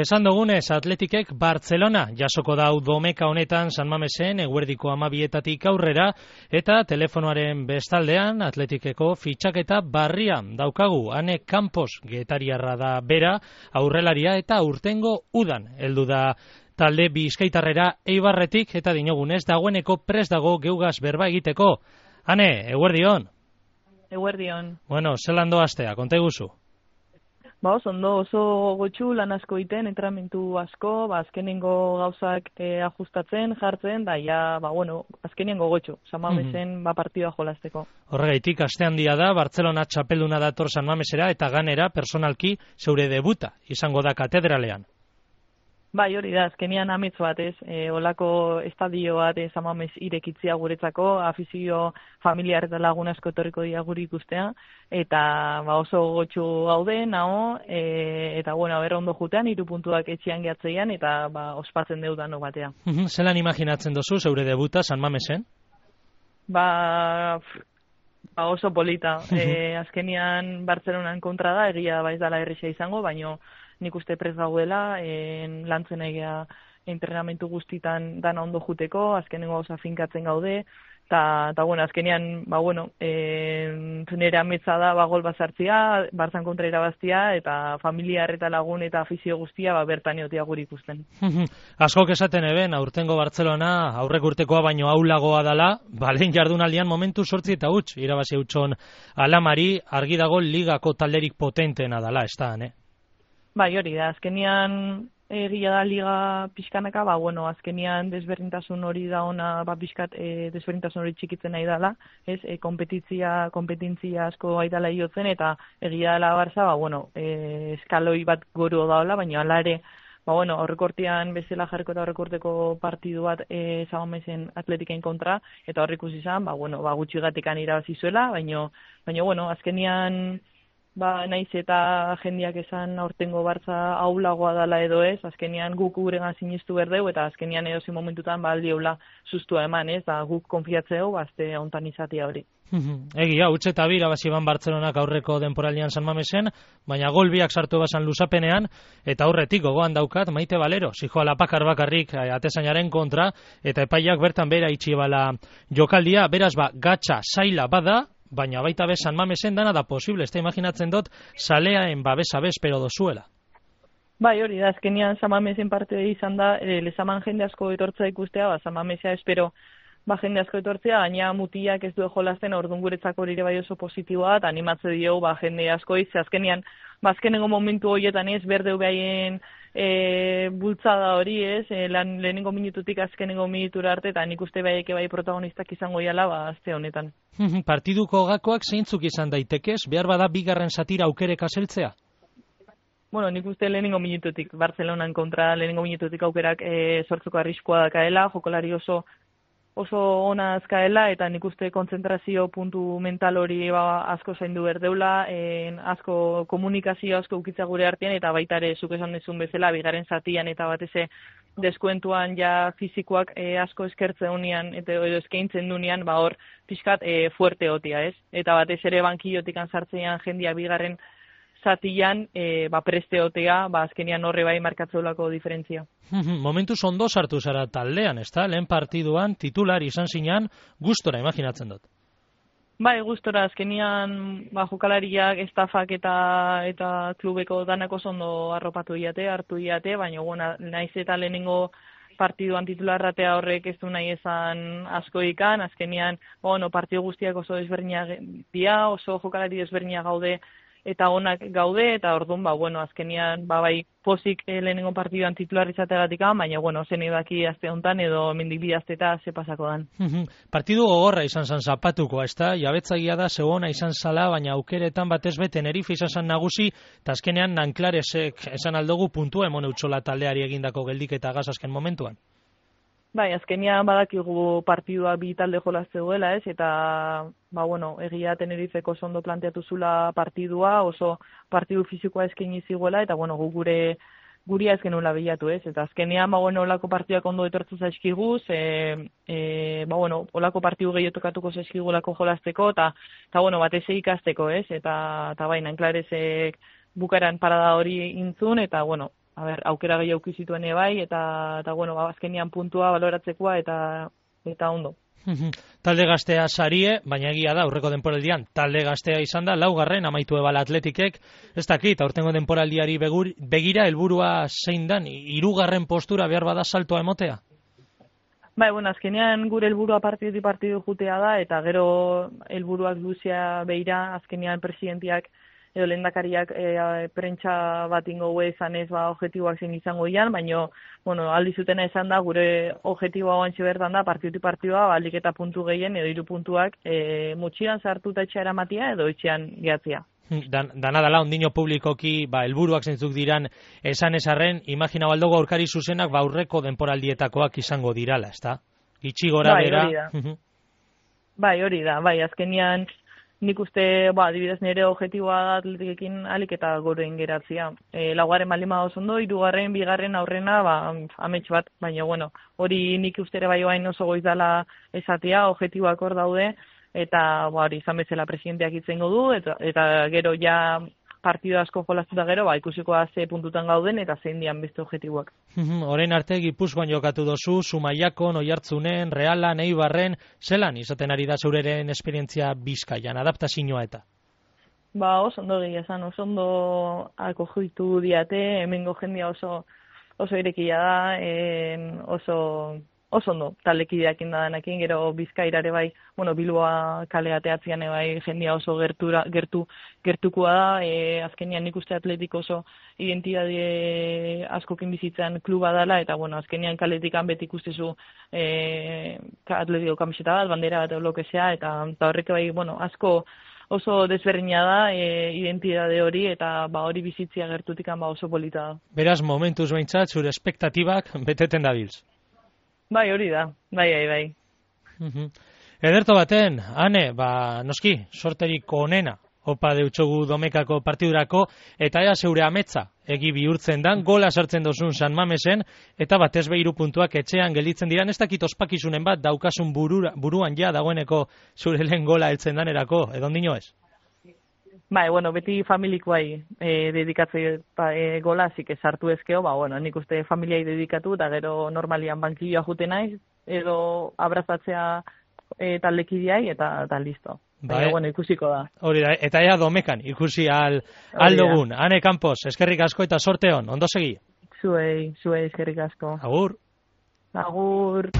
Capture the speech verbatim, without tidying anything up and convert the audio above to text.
Esan dugunez, Atletikek Barcelona jasoko dau domeka honetan San Mamesen eguerdiko hamabietatik aurrera eta telefonoaren bestaldean Atletikeko fitxaketa barria daukagu. Ane Campos getariarra da bera, aurrelaria eta urtengo udan heldu da talde bizkaitarrera Eibarretik eta dinogunez dagoeneko prest dago geugaz berba egiteko. Ane, eguerdion. Eguerdion. Bueno, zelan doaztea, konta iguzu. Ba, oso ondo, oso gotxu lan asko iten, entrenamentu asko, ba, azkenengo gauzak e, ajustatzen, jartzen, da, ja, ba, bueno, azkenengo gotxu, San Mamesen, mm-hmm. ba, partidua jolasteko. Horregaitik, aste handia da, Barcelona txapelduna dator San Mamesera, eta ganera, personalki, zeure debuta, izango da katedralean. Bai, hori da, azkenian ametz bat ez, e, olako estadio bat e, San Mames irekitzia guretzako, afizio familiar eta lagun asko etorriko dira guri ikustea, eta ba, oso gotxu gaude, naho, e, eta bueno, ber ondo jutean, hiru puntuak etxean gehatzeian, eta ba, ospatzen deudano batea. Zelan imaginatzen dozu, zeure debuta San Mamesen? Ba... Ba, oso polita. E, azkenian Bartzelonan kontra da, egia baiz dala erresa izango, baino nik uste prez gaudela, en, lantzen egia entrenamentu guztitan dana ondo juteko, azkenengo gauza finkatzen gaude, eta, bueno, azkenean, ba, bueno, e, nire ametsa da, ba, gol bazartzia, Barzan kontra irabaztia, eta familiar eta lagun eta afizio guztia, ba, bertan eotia guri ikusten. Askok esaten eben, aurtengo Bartzelona, aurrek urtekoa baino aulagoa dala, balen jardunaldian momentu sortzi eta huts, irabazi hutson alamari, argi dago ligako talderik potentena dala, ez da, ne? Bai, hori da, azkenian egia da liga pixkanaka, ba, bueno, azkenian desberdintasun hori da ona, ba, pixkat e, desberdintasun hori txikitzen nahi dala, ez, e, kompetitzia, kompetentzia asko aidala iotzen, eta egia dela Barça, ba, bueno, e, eskaloi bat goru daola, baina ala ere, ba, bueno, aurrekortean bezala jarriko eta aurrekorteko partidu bat e, San Mamesen Atletikain kontra, eta horrik ikusi izan, ba, bueno, ba, gutxigatikan irabazi zuela, baina, baina, bueno, azkenian, ba, naiz eta jendiak esan aurtengo Bartza aulagoa dala edo ez, azkenian guk guregan sinistu berdeu, eta azkenian edozi momentutan ba, aldiola sustua eman, ez, da guk konfiatzeu, bazte ontan izatea hori. Egia, utxe eta bira baziban Bartzelonak aurreko denporalian San Mamesen, baina gol biak sartu basan luzapenean, eta aurretik gogoan daukat Maite Valero, zijoala pakar bakarrik atezainaren kontra, eta epaiak bertan bera itxibala jokaldia, beraz ba, gatsa zaila bada, baina baita be San Mamesen dana da posible, ez da imaginatzen dut, zaleaen babesa bezpero dozuela. Bai, hori da, azkenian San Mamesen parte izan da, e, lezaman jende asko etortza ikustea, ba, San Mamesea espero ba, jende asko etortzea, gaina mutiak ez du jolasten, orduan guretzako hori ere bai oso positiboa, eta animatze dio ba, jende asko izze, azkenian, ba, azkenengo momentu horietan ez, berdeu behaien e, bultzada hori ez, e, lan, lehenengo minututik azkenengo minutura arte, eta nik uste behaik bai protagonistak izango iala, ba, azte honetan. Partiduko gakoak zeintzuk izan daitekez, behar bada bigarren satira aukerek aseltzea? Bueno, nik uste lehenengo minututik, Bartzelonan kontra lehenengo minututik aukerak e, sortzeko arriskua dakaela, jokolari oso oso ona azkaela, eta nik uste kontzentrazio puntu mental hori ba, asko zaindu berdeula, en, asko komunikazio asko ukitza gure artean, eta baita ere zuk esan dezun bezala, bigarren zatian eta bateze deskuentuan ja fizikoak e, asko eskertzen unian, eta edo eskaintzen dunean, ba hor pixkat e, fuerte otia, ez? Eta batez ere bankiotikan sartzean jendia bigarren zatian, e, ba preste otea, ba azkenian horre bai markatzeulako diferentzia. Momentuz ondo sartu zara taldean, ez da? Lehen partiduan titular izan zinan, gustora imaginatzen dut. Bai, gustora, azkenian ba, jokalariak, estafak eta eta klubeko danako ondo arropatu iate, hartu iate, baina bueno, naiz eta lehenengo partiduan titularratea horrek ez du nahi esan asko ikan, azkenian bueno, partidu guztiak oso desberdinak dira, oso jokalari desberdinak gaude, eta onak gaude, eta orduan, ba, bueno, azkenian, ba, bai, pozik eh, lehenengo partiduan titular izateagatik, baina, bueno, zen edaki azte honetan, edo mendik bi azte eta ze pasako dan. Partidu gogorra izan zan zapatuko, ez da? Jabetzagia da, zegoena izan zala, baina aukeretan batez be Tenerife izan zan nagusi, eta azkenean Nanklaresek esan aldugu puntua emone utzola taldeari egindako geldik eta gaz azken momentuan. Bai, azkenian badakigu partidua bi talde jolazte duela, ez, eta, ba, bueno, egia Tenerifeko ondo planteatu zula partidua, oso partidu fizikoa eskaini ziguela, eta, bueno, gu gure guria ez genuela bilatu, ez, eta azkenian, ba, bueno, olako partiduak ondo etortzu zaizkiguz, e, e, ba, bueno, olako partidu gehiago tokatuko zaizkigulako jolazteko, eta, eta, bueno, batez ikasteko, ez, eta, eta baina, enklaresek bukaran parada hori intzun, eta, bueno, a ber, aukera gehiago zituen bai, eta, eta bueno, azkenean puntua baloratzekoa, eta, eta ondo. Talde gaztea sarie, baina egia da, aurreko denporaldian, talde gaztea izan da, laugarren amaitu ebala Atletikek, ez dakit, aurtengo denporaldiari begur, begira, helburua zein dan, hirugarren postura behar bada saltoa emotea? Bai, bueno, azkenean gure helburua partidu partidu jutea da, eta gero helburuak luzea beira, azkenean presidentiak edo lehendakariak e, prentsa bat ingo ezan ez ba, objetiboak zein izango ian, baina bueno, aldi zutena esan da, gure objetiboa oantxe bertan da, partidu partidua, balik eta puntu gehien, edo hiru puntuak, e, mutxian sartuta etxea eramatia, edo etxean gehatzia. Dan, dana dala, ondino publikoki, ba, helburuak zeintzuk diran esan esarren, imagina baldogo aurkari zuzenak, ba, aurreko denporaldietakoak izango dirala, ezta? Itxi gora bai, bera. Hori da. bai, hori da, bai, azkenian nik uste, ba, adibidez nire objetiboa da Atletikekin alik eta goren geratzea. E, laugarren balima oso ondo, hirugarren, bigarren aurrena, ba, amets bat, baina, bueno, hori nik uste ere bai oain oso goizala esatea, objetiboak hor daude, eta, ba, hori, izan bezala presidenteak itzengo du, eta, eta gero ja partidu asko jolaztuta gero, ba, ikusikoa ze puntutan gauden, eta zein dian beste objetiboak. Orain arte Gipuzkoan jokatu dozu, Zumaiakon, Oiartzunen, Realan, Eibarren, zelan izaten ari da zeureren esperientzia Bizkaian, adaptazioa eta? Ba, oso ondo gehi esan, oso ondo akogitu diate, hemengo jendia oso oso irekia da, en, oso oso ondo taldekideak indadanekin, gero Bizkairare bai, bueno, Bilboa kale ateatzean bai jendia oso gertura, gertu, gertukoa da, e, azkenean nik uste Atletik oso identitate askokin bizitzan kluba dela, eta bueno, azkenean kaletikan beti ikustezu e, Atletiko kamiseta bat, bandera bat, lo que sea, eta, eta horrek bai, bueno, asko oso desberdina da e, identitate hori, eta ba hori bizitzia gertutikan ba oso polita da. Beraz, momentuz behintzat, zure espektatibak beteten dabilz. Bai, hori da, bai, bai, bai. Uh-huh. Ederto baten, ane, ba, noski, sorterik onena, opa deutsogu Domekako partidurako, eta ea zeure ametza, egi bihurtzen dan, gola sartzen dozun San Mamesen, eta batez behiru puntuak etxean gelditzen diran, ez dakit ospakizunen bat daukasun burura, buruan ja dagoeneko zure lehen gola heltzen danerako, edo ondino ez? Bai, bueno, beti familikoai e, dedikatze e, gola, zik esartu ezkeo, ba, bueno, nik uste familiai dedikatu, eta gero normalian bankilloa jute naiz, edo abrazatzea e, taldekideai, eta, eta listo. Bai, Baina, bueno, ikusiko da. Hori da, eta ea Domekan, ikusi al, aldogun. Ane Campos, eskerrik asko eta sorte hon, ondo segi? Zuei, zuei, eskerrik asko. Agur. Agur.